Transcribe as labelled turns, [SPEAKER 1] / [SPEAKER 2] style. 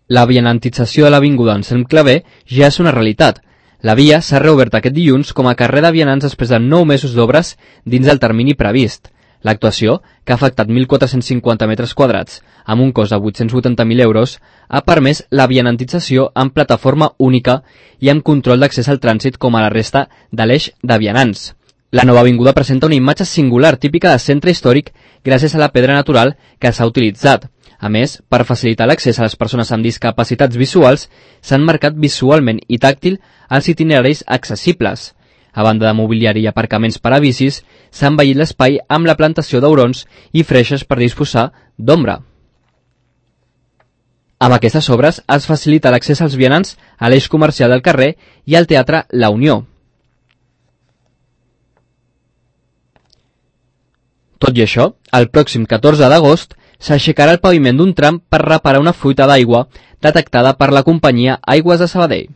[SPEAKER 1] La vianantització de l'avinguda Anselm Clavé ja és una realitat. La via s'ha reobert aquest dilluns com a carrer de vianants després de 9 mesos d'obres dins del termini previst. L'actuació, que ha afectat 1.450 metres quadrats amb un cost de 880.000 euros, ha permès la vianantització en plataforma única i amb control d'accés al trànsit com a la resta de l'eix de vianants. La nova avinguda presenta una imatge singular típica de centre històric gràcies a la pedra natural que s'ha utilitzat. A més, per facilitar l'accés a les persones amb discapacitats visuals, s'han marcat visualment i tàctil els itineraris accessibles. A banda de mobiliari i aparcaments per a bicis, s'ha embellit l'espai amb la plantació d'aurons i freixes per disposar d'ombra. Amb aquestes obres es facilita l'accés als vianants a l'eix comercial del carrer i al teatre La Unió. Tot i això, el pròxim 14 d'agost s'aixecarà el paviment d'un tram per reparar una fuita d'aigua detectada per la companyia Aigües de Sabadell.